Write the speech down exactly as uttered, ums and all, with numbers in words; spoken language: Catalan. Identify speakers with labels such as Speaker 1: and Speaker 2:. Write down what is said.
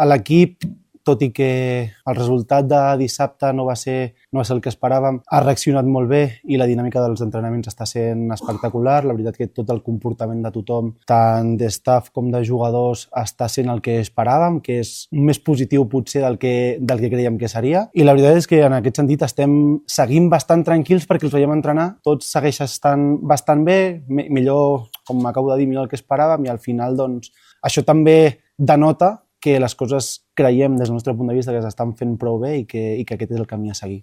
Speaker 1: l'equip, tot i que el resultat de dissabte no va ser, no va ser el que esperàvem, ha reaccionat molt bé i la dinàmica dels entrenaments està sent espectacular. La veritat que tot el comportament de tothom, tant de staff com de jugadors, està sent el que esperàvem, que és més positiu potser del que, del que creiem que seria. I la veritat és que en aquest sentit estem seguint bastant tranquils perquè els veiem entrenar. Tot segueix estant bastant bé, millor, com m'acabo de dir, millor el que esperàvem, i al final doncs, això també denota que les coses creiem des del nostre punt de vista que s'estan fent prou bé i que, i que aquest és el camí a seguir.